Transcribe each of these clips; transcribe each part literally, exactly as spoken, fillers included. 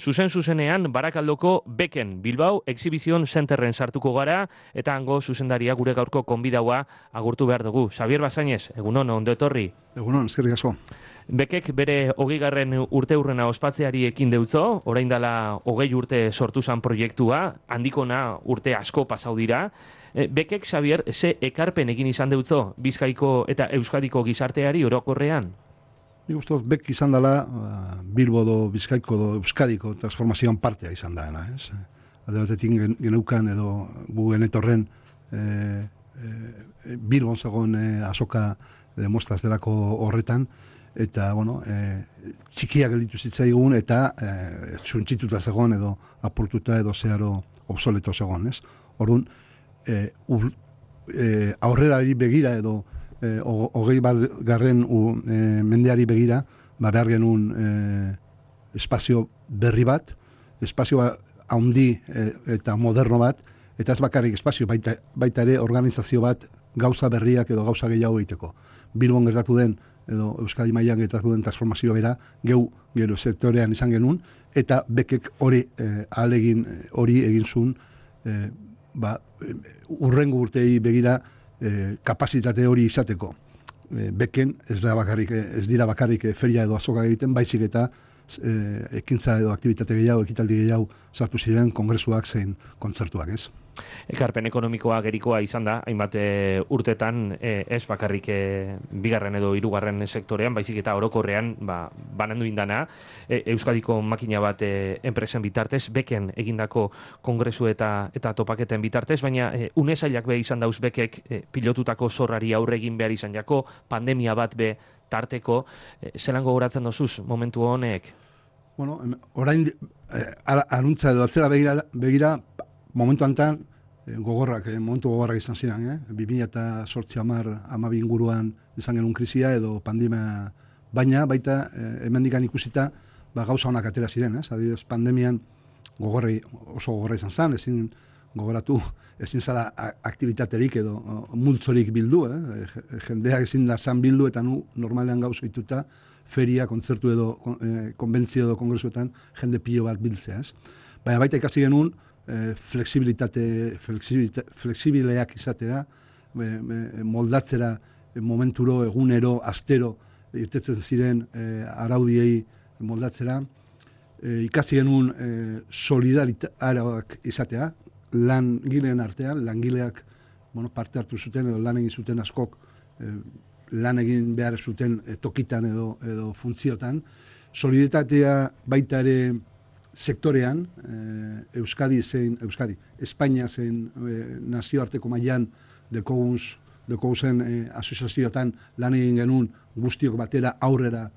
Zuzen zuzenean Barakaldoko Beken Bilbao Exhibition Centerren sartuko gara eta hango zuzendaria gure gaurko konbidaua agurtu behar dugu. Xabier Basainez, egunon, ondo etorri. Egunon, eskerrik asko. Bekek bere hogeigarren urte urrena ospatzeari ekin deutzo, orain dela hogei urte sortu zan proiektua, handikona urte asko pasau dira. Bekek, Xabier, ze ekarpen egin izan deutzo Bizkaiko eta Euskadiko gizarteari orokorrean? Nik uste dut, Bek izan dela Bilbo do, Bizkaiko do, Euskadiko transformazioan partea izan daena, ez? Alde batetik geneukan edo gu genetorren e, e, Bilbon zegoen e, azoka demostraz delako horretan, eta, bueno, e, txikiak gelditu zitzaigun eta e, txuntxituta zegoen edo apurtuta edo zeharo obsoleto zegoen, ez? Orduan, e, ur, e, aurrerari begira edo e, hogei bat garren u, e, mendeari begira, ba behar genuen e, espazio berri bat, espazio handi e, eta moderno bat, eta ez bakarrik espazio, baita, baita ere organizazio bat gauza berriak edo gauza gehiago egiteko. Bilbon gertatu den edo Euskadi mailan gertatu den transformazio bera, geu gero sektorean izan genuen, eta Bekek hori eh, ahalegin hori egin zuen eh, ba, urrengo urtei begira eh, kapazitate hori izateko. Eh, Beken ez da bakarrik, ez dira bakarrik feria edo azoka egiten, baizik eta eh, ekintza edo aktivitate gehiago, ekitaldi gehiago sartu ziren kongresuak zein kontzertuak, ez? Ekarpen ekonomikoa gerikoa izan da, hainbat e, urtetan e, ez bakarrik e, bigarren edo hirugarren sektorean, baizik eta orokorrean ba, banandu indana, e, Euskadiko makina bat e, enpresen bitartez, Beken egindako kongresu eta eta topaketen bitartez, baina e, unezailak be izan dauz Bekek e, pilotutako zorrari aurre egin behar izan jako, pandemia bat be tarteko, e, zelan gogoratzen dozuz momentu honek? Bueno, orain eh, aruntza edo atzera begira, begira momentu antan gogorrak, eh, momentu gogorrak izan ziren, eh? bi mila zortzi hamar hamabi inguruan izan genuen krisia edo pandemia, baina baita eh, hemendikan ikusita ba, gauza honak atera ziren, ez? Adibidez, pandemian gogorri, oso gogorra izan zen, ezin gogoratu, ezin zara aktibitaterik edo multzorik bildu, eh? Jendeak ezin da zan bildu eta nu normalean gauza ituta feria, kontzertu edo eh, konbentzio edo kongresuetan jende pilo bat biltzea, ez? Baina baita ikasi genuen eh, flexibilitate, flexibilitate, flexibileak izatera, eh, moldatzera eh, momenturo, egunero, astero, irtetzen ziren eh, araudiei moldatzera, eh, ikasi genuen eh, solidaritateak izatea, langileen artean, langileak bueno, parte hartu zuten edo lan egin zuten askok eh, lan egin behar zuten eh, tokitan edo, edo funtziotan. Solidaritatea baita ere sektorean, eh, Euskadi zein, Euskadi, Espainia zein eh, nazioarteko mailan dekogunz, dekoguzen eh, asoziazioetan lan egin genuen guztiok batera aurrera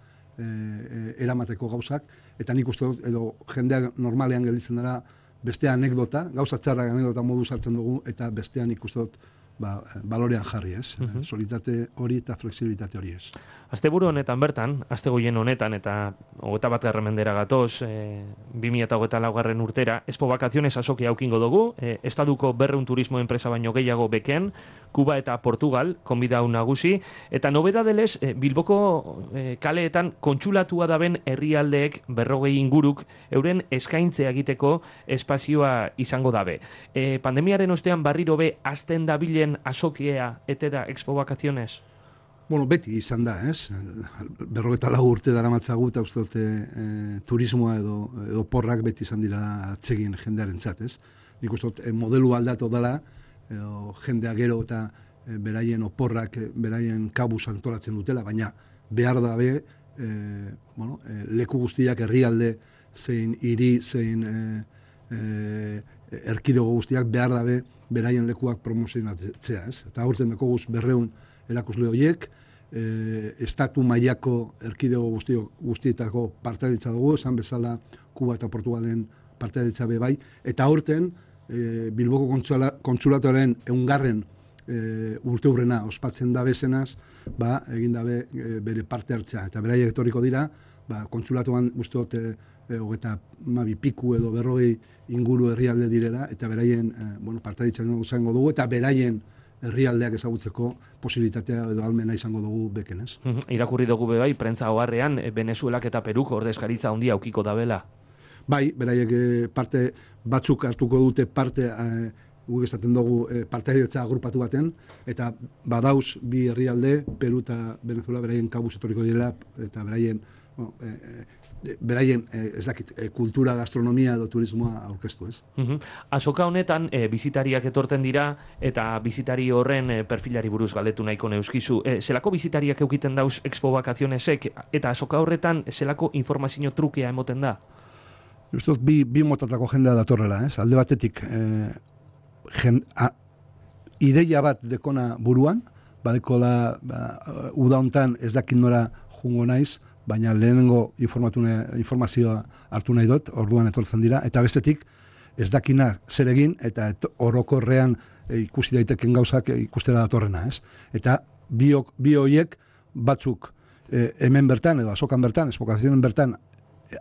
eh, eramateko gauzak, eta nik uste dut, edo jendeak normalean gelditzen dara beste anekdota, gauza txarrak anekdota modu sartzen dugu, eta bestean nik uste dut ba, balorean jarri, ez? Uh-huh. Solitate hori eta flexibilitate hori, ez? Asteburu honetan bertan, astegoien honetan, eta hogeita bat garren mendera gatoz, e, bi mila hogeita laugarren urtera, Expo Vacaciones azoki aukingo dugu, e, Estaduko berreun turismo enpresa baino gehiago Beken, Kuba eta Portugal, konbidau nagusi, eta nobedadelez, e, Bilboko e, kaleetan kontsulatua daben herrialdeek berrogei inguruk euren eskaintzea egiteko espazioa izango dabe. E, pandemiaren ostean barriro be azten dabilen azokia ete da Expo Vacaciones? Bueno, beti izan da, ez? Berrogeta lau urte dara matzagu eta uste dute e, turismoa edo, edo porrak beti izan dira atsegin jendearen txat, ez? Nik uste dut e, modelu aldatu dela, edo jendea gero eta e, beraien oporrak, e, beraien kabuz antolatzen dutela, baina behar da be, e, bueno, e, leku guztiak herrialde zein hiri, zein e, e, erkidego guztiak behar da be, beraien lekuak promozionatzea, ez? Eta aurten dako guz berreun erakusle horiek, e, estatu mailako erkidego guztio, guztietako partaidetza dugu, esan bezala Kuba eta Portugalen partaidetza be bai, eta aurten e, Bilboko kontsulatoren eungarren e, urte hurrena ospatzen da bezenaz, ba, egin dabe e, bere parte hartzea, eta beraiek etorriko dira, ba, kontsulatuan guztiot e, e, hogeta mabi piku edo berrogei inguru herrialde direla, eta beraien e, bueno, partaidetza izango dugu, eta beraien herrialdeak ezagutzeko posibilitatea edo almena izango dugu Beken, ez? Irakurri dugu bebai, prentza oharrean, Venezuelak eta Peruk ordezkaritza handia aukiko dabela. bai, beraiek eh, parte batzuk hartuko dute parte eh, guk esaten dugu eh, partaidetza agrupatu baten, eta badauz bi herrialde, Peru eta Venezuela, beraien kabuz etorriko direla, eta beraien, bueno, eh, eh, beraien, eh, ez dakit, eh, kultura, gastronomia edo turismoa aurkeztu, ez? Uh-huh. Azoka honetan, e, bizitariak etorten dira, eta bizitari horren e, perfilari buruz galdetu nahiko neuskizu. E, zelako bizitariak eukiten dauz Expo Vacacionesek, eta azoka horretan, zelako informazio trukea emoten da? Justo, bi, bi motatako jendea datorrela, ez? Alde batetik, eh, jen, a, ideia bat dekona buruan, badekola ba, uda hontan ez dakit nora jungo naiz, baina lehenengo informazioa hartu nahi dut, orduan etortzen dira, eta bestetik ez dakina zer egin, eta et, orokorrean e, ikusi daiteken gauzak e, ikustera datorrena, ez? Eta bi, bi hoiek batzuk e, hemen bertan, edo azokan bertan, espokazioen bertan,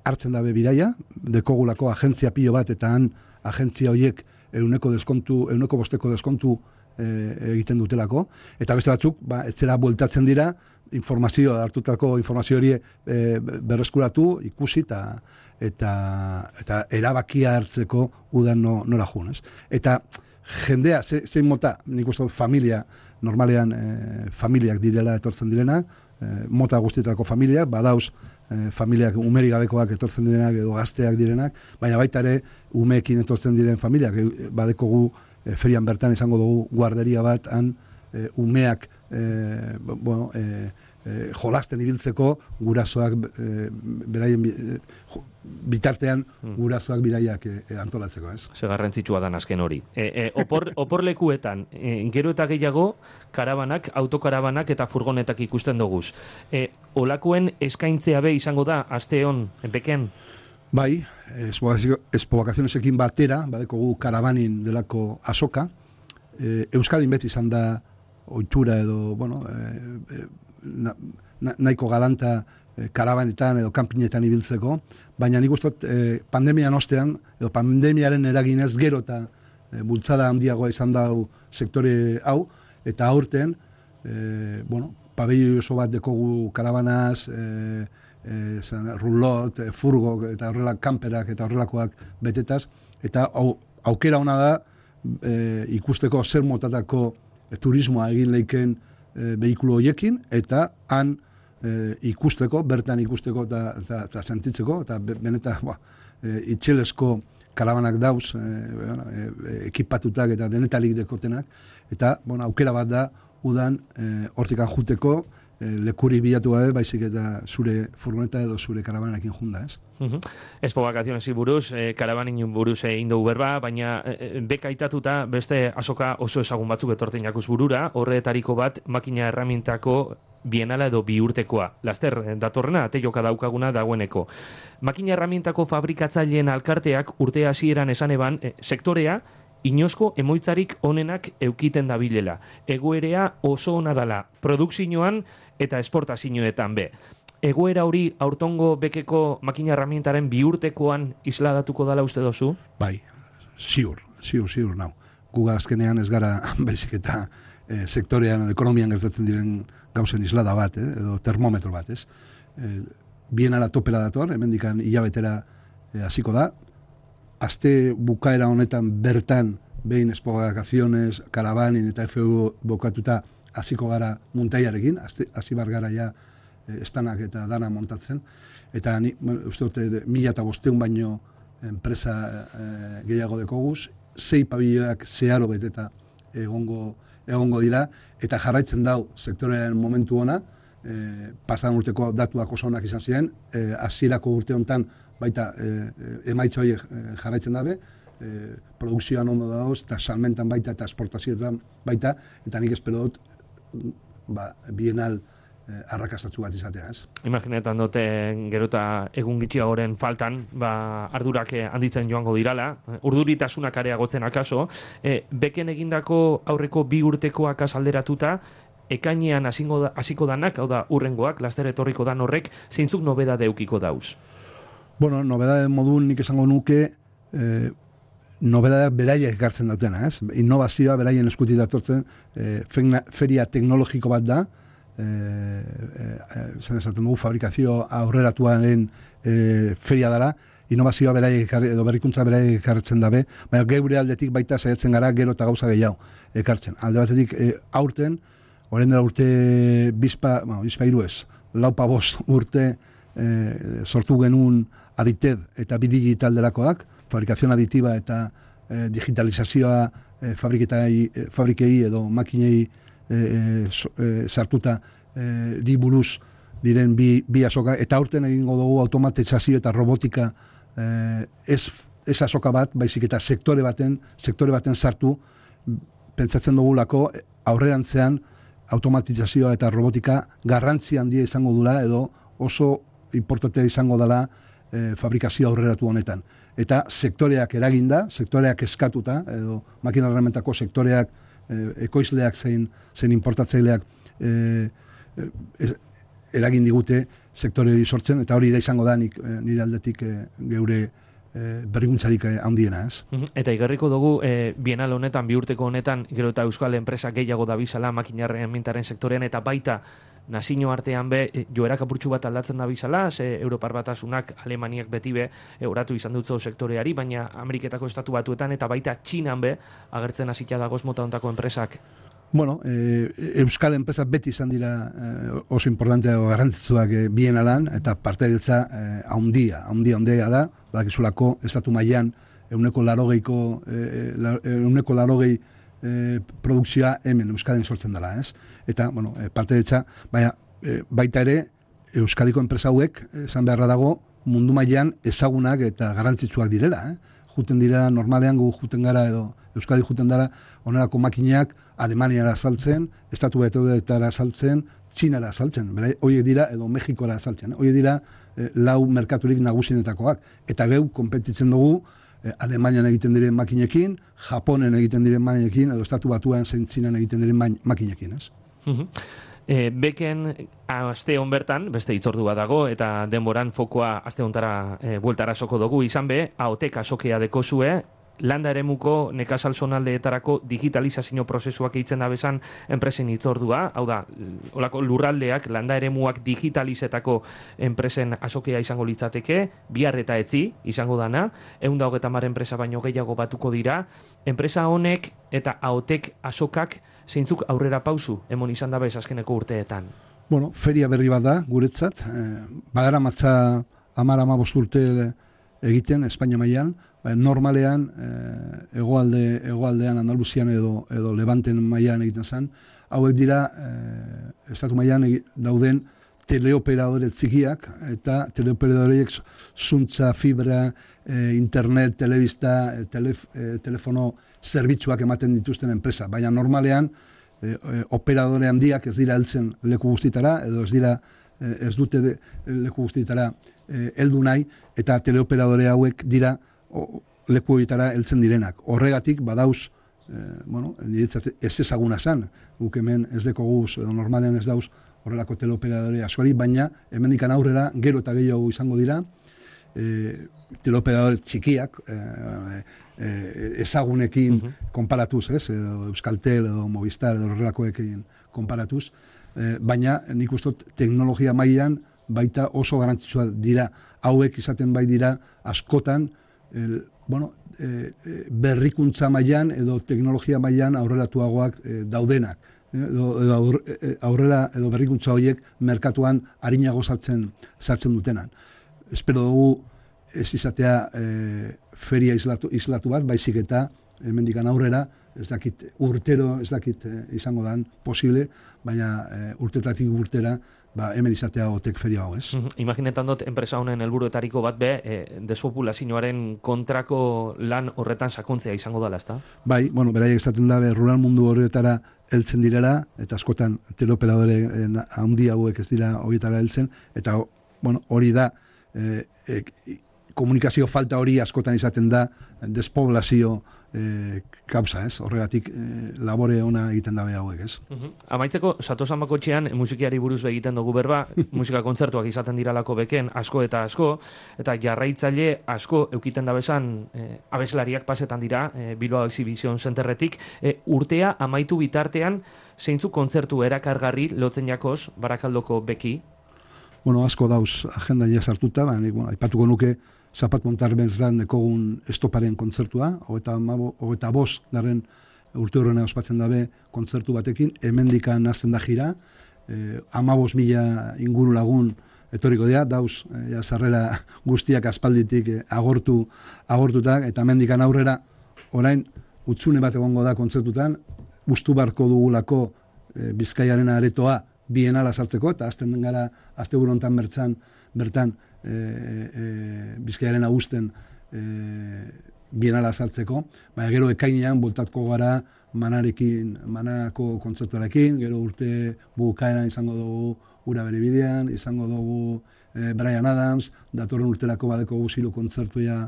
hartzen dabe bidaia, dekogulako agentzia pilo bat, eta han agentzia hoiek euneko deskontu, euneko bosteko deskontu e, egiten dutelako, eta beste batzuk, ba, etzera bueltatzen dira, informazioa, hartutako informazio hori e, berreskuratu, ikusi eta eta, eta erabakia hartzeko udan no, nora jun, ez? Eta jendea, ze, zein mota, nik uste dut familia, normalean e, familiak direla etortzen direna, e, mota guztietako familiak, badauz e, familiak umeri gabekoak etortzen direnak edo gazteak direnak, baina baita ere umeekin etortzen diren familiak, e, badekogu e, ferian bertan izango dugu guarderia bat, han e, umeak E, bueno, e, e, jolasten ibiltzeko gurasoak e, beraien e, bitartean gurasoak bidaiak e, antolatzeko, ez? Ze garrantzitsua dan azken hori. E, e, opor, oporlekuetan, e, gero eta gehiago, karabanak, autokarabanak eta furgonetak ikusten doguz. E, olakoen eskaintzea be izango da, aste hon, beken? Bai, Expo Vacacionesekin batera, badekogu karabanin delako azoka, e, Euskadin beti izan da ohitura edo, bueno, e, na, na, nahiko galanta e, karabanetan edo kanpinetan ibiltzeko, baina nik ustot e, pandemian ostean, edo pandemiaren eraginez gero eta e, bultzada handiagoa izan da sektore hau, eta aurten, e, bueno, pabelloi oso bat dekogu karabanaz, e, e, zan, rulot, e, furgo, eta horrela kanperak eta horrelakoak betetaz, eta au, aukera ona da e, ikusteko zer motatako E, turismoa egin leiken e, behikulo horiekin, eta han e, ikusteko, bertan ikusteko eta, eta, eta sentitzeko, eta benetan e, itxelesko karabanak dauz, e, e, e, ekipatutak eta denetalik dekotenak, eta bueno, aukera bat da udan e, hortikan juteko, e, lekuri bilatu gabe, baizik eta zure furgoneta edo zure karabanakin junda, ez? Uh-huh. Expo Vacacionesi buruz, eh, karabanin buruz egin dugu berba, baina eh, beka itatuta beste azoka oso ezagun batzuk etortzen jakuz burura, horretariko bat makina erramintako bienala edo biurtekoa. Laster, datorrena, ateioka daukaguna dagoeneko. Makina erramintako fabrikatzaileen alkarteak urte hasieran esan eban, eh, sektorea, inozko emoitzarik onenak eukiten dabilela. Egoerea oso ona dala, produkzioan eta esportazioetan be. Egoera hori aurtongo bekeko makina herramientaren biurtekoan isladatuko dala uste dozu? Bai, ziur, ziur, ziur, nau. Guga azkenean ez gara baizik eta e, sektorean, ekonomian gertatzen diren gauzen islada bat, eh, edo termometro bat, ez? E, bienala topera dator, hemendikan hilabetera hasiko da. Aste bukaera honetan bertan behin Expo Vacaciones, karabanin eta F U bokatuta hasiko gara muntaiarekin, hasi bar gara ja estanak eta dana montatzen, eta ni, uste dute, mila eta bosteun baino enpresa e, gehiago dekoguz, sei pabilloak zeharo beteta egongo, egongo dira, eta jarraitzen dau sektorearen momentu ona, e, pasan urteko datuak oso onak izan ziren, e, hasierako urte honetan baita e, emaitza horiek jarraitzen dabe, e, produkzioan ondo dauz, eta salmentan baita eta esportazioetan baita, eta nik espero dut, ba, bienal arrakastatzu bat izatea, ez? Imaginetan dute gero eta egun gitxiagoren faltan, ba, ardurak handitzen joango dirala, urduritasunak areagotzen akaso, e, beken egindako aurreko bi urtekoak azalderatuta, ekainean hasiko danak, hau da, urrengoak, laster etorriko dan horrek, zeintzuk nobedade eukiko dauz? Bueno, nobedade modun nik esango nuke, eh, nobedadeak beraiek ekartzen dutena, ez? Innovazioa beraien eskutik datortzen, eh, feria teknologiko bat da, E, e, zen esaten dugu fabrikazio aurreratuaren e, feria dela, innovazioa beraiek edo berrikuntza beraiek ekartzen dabe, baina geure aldetik baita saiatzen gara gero eta gauza gehiago ekartzen. Alde batetik e, aurten, orain dela urte bizpa, bueno, bizpa hiru ez, laupa bost urte e, sortu genuen adited eta bidigital delakoak, fabrikazion aditiba eta e, digitalizazioa e, fabriketai, e, fabrikei edo makinei e, so, e, sartuta e, di buruz diren bi, bi azoka, eta aurten egingo dugu automatizazio eta robotika eh, ez, ez azoka bat, baizik eta sektore baten, sektore baten sartu, pentsatzen dugulako aurrerantzean automatizazioa eta robotika garrantzi handia izango dula edo oso importantea izango dela eh, fabrikazio aurreratu honetan. Eta sektoreak eraginda, sektoreak eskatuta, edo makina herramientako sektoreak, eh, ekoizleak zein, zein importatzaileak eh, eh, eragin digute sektore hori sortzen, eta hori da izango da nik, nire aldetik geure e, berrikuntzarik handiena, ez? Eta igarriko dugu, e, bienal honetan, bi urteko honetan, gero eta euskal enpresa gehiago dabizala makinarren mintaren sektorean, eta baita nazio artean be, e, joerak apurtxu bat aldatzen dabizala, ze Europar Batasunak, Alemaniak beti be, e, oratu izan dutzo sektoreari, baina Ameriketako estatu batuetan, eta baita Txinan be, agertzen hasita dagoz mota hontako enpresak. Bueno, eh, euskal enpresa beti izan dira eh, oso importantea o garrantzitsuak eh, bienalan, eta partaidetza eh, haundia, haundia, haundia da, badakizulako estatu mailan euneko larogeiko, eh, euneko larogei eh, produkzioa hemen Euskadin sortzen dela, ez? Eta, bueno, eh, partaidetza, baina eh, baita ere Euskadiko enpresa hauek, esan beharra dago, mundu mailan ezagunak eta garrantzitsuak direla, eh? Juten dira, normalean gu juten gara edo Euskadi juten dara, onerako makineak Alemaniara saltzen, Estatu Batuetara saltzen, Txinara saltzen, bera, horiek dira, edo Mexikora saltzen, horiek dira eh, lau merkaturik nagusienetakoak, eta geu konpetitzen dugu eh, Alemanian egiten diren makinekin, Japonen egiten diren makinekin, edo Estatu Batuan zein Txinan egiten diren makinekin, ez? E, beken aste hon bertan, beste itzordua dago, eta denboran fokoa aste hontara e, bueltara soko dugu izan be, aotek asokea dekozue, landa eremuko nekazal zonaldeetarako digitalizazio prozesuak eitzen da bezan enpresen itzordua, hau da, olako lurraldeak, landa eremuak digitalizetako enpresen asokea izango litzateke, bihar eta etzi izango dana, ehun eta hogeita hamar enpresa baino gehiago batuko dira, enpresa honek eta aotek asokak zeintzuk aurrera pausu emon izan dabe azkeneko urteetan? Bueno, feria berri bat da, guretzat, eh, badara matza amar ama bost urte egiten, Espainia mailan, normalean eh, hegoalde hegoaldean Andaluzian edo edo Levanten mailan egiten zen, hauek dira eh, estatu mailan dauden teleoperadore txikiak eta teleoperadoreek zuntza, fibra, eh, internet, telebista, eh, telef, eh, telefono zerbitzuak ematen dituzten enpresa, baina normalean eh, operadore handiak ez dira heltzen leku guztitara edo ez dira eh, ez dute de, leku guztitara eh, heldu nahi, eta teleoperadore hauek dira o, leku horietara heltzen direnak. Horregatik badauz, eh, bueno, niretzat ez ezaguna zan, guk hemen ez deko guz, edo normalean ez dauz horrelako teleoperadore askori, baina hemendikan aurrera gero eta gehiago izango dira, eh, teleoperadore txikiak, eh, eh, ezagunekin uh-huh. konparatuz, ez, edo Euskaltel, edo Movistar, edo horrelakoekin konparatuz, eh, baina nik ustot teknologia mailan baita oso garantzitsua dira, hauek izaten bai dira askotan, El, bueno, e, e, berrikuntza mailan edo teknologia mailan aurreratuagoak e, daudenak. Edo, edo aur, e, aurrera edo berrikuntza horiek merkatuan arinago sartzen, sartzen dutenan. Espero dugu ez izatea e, feria islatu, islatu bat, baizik eta hemendikan aurrera, ez dakit urtero, ez dakit e, izango dan posible, baina e, urtetatik urtera ba, hemen izatea otek feria hau, ez? Imaginetan dut, enpresa honen helburuetariko bat be, e, despopulazioaren kontrako lan horretan sakontzea izango dela, ezta? Bai, bueno, beraiek esaten da, rural mundu horretara heltzen direla, eta askotan teleoperadore handi hauek ez dira horietara heltzen, eta bueno, hori da, e, e, komunikazio falta hori askotan izaten da despoblazio e, kausa, ez? Horregatik e, labore ona egiten dabe hauek, ez? Uh-huh. Amaitzeko, Satosan bakotxean musikiari buruz egiten dugu berba, musika kontzertuak izaten diralako beken asko eta asko, eta jarraitzaile asko eukiten dabezan e, abeslariak pasetan dira e, Bilbao Exhibition Centerretik, e, urtea amaitu bitartean zeintzuk kontzertu erakargarri lotzen jakoz Barakaldoko beki? Bueno, asko dauz agenda ja sartuta, baina bueno, aipatuko nuke Zapat Montar bezan dekogun estoparen kontzertua, hogeita bost garren urte horrena ospatzen dabe kontzertu batekin, hemendikan hasten da jira, eh, amabos mila inguru lagun etoriko dira, dauz, eh, ja, sarrera guztiak aspalditik eh, agortu, agortutak, eta hemendikan aurrera, orain, utzune bat egongo da kontzertutan, ustu barko dugulako eh, Bizkaiaren aretoa bienala sartzeko, eta azten den gara, azte burontan bertzan, bertan, e, e, Bizkaiaren agusten e, bienala sartzeko, baina gero ekainean bultatko gara manarekin, manako kontzertuarekin, gero urte bukaeran izango dugu Ura bere bidean, izango dugu e, Bryan Adams, datorren urterako badeko guziru kontzertuia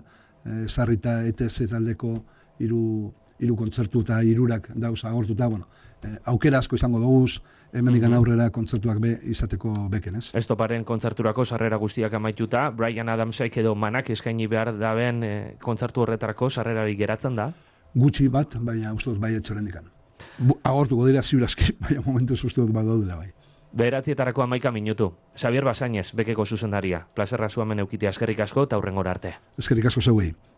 e, sarrita E T Z taldeko hiru hiru kontzertu eta hirurak dauz agortuta, bueno, eh, aukera asko izango dugu, hemendikan aurrera kontzertuak be izateko beken, ez? Estoparen kontzerturako sarrera guztiak amaituta, Bryan Adamsek edo manak eskaini behar daben e, kontzertu horretarako sarrerari geratzen da? Gutxi bat, baina uste dut bai etxorendikan. Agortuko dira ziurazki, baina momentu uste dut bat daudela bai. Bederatzietarako amaika minutu. Xabier Basainez, bekeko zuzendaria. Plazerra zuamen eukitea eskerrik asko eta hurrengora arte. Eskerrik asko zeuei.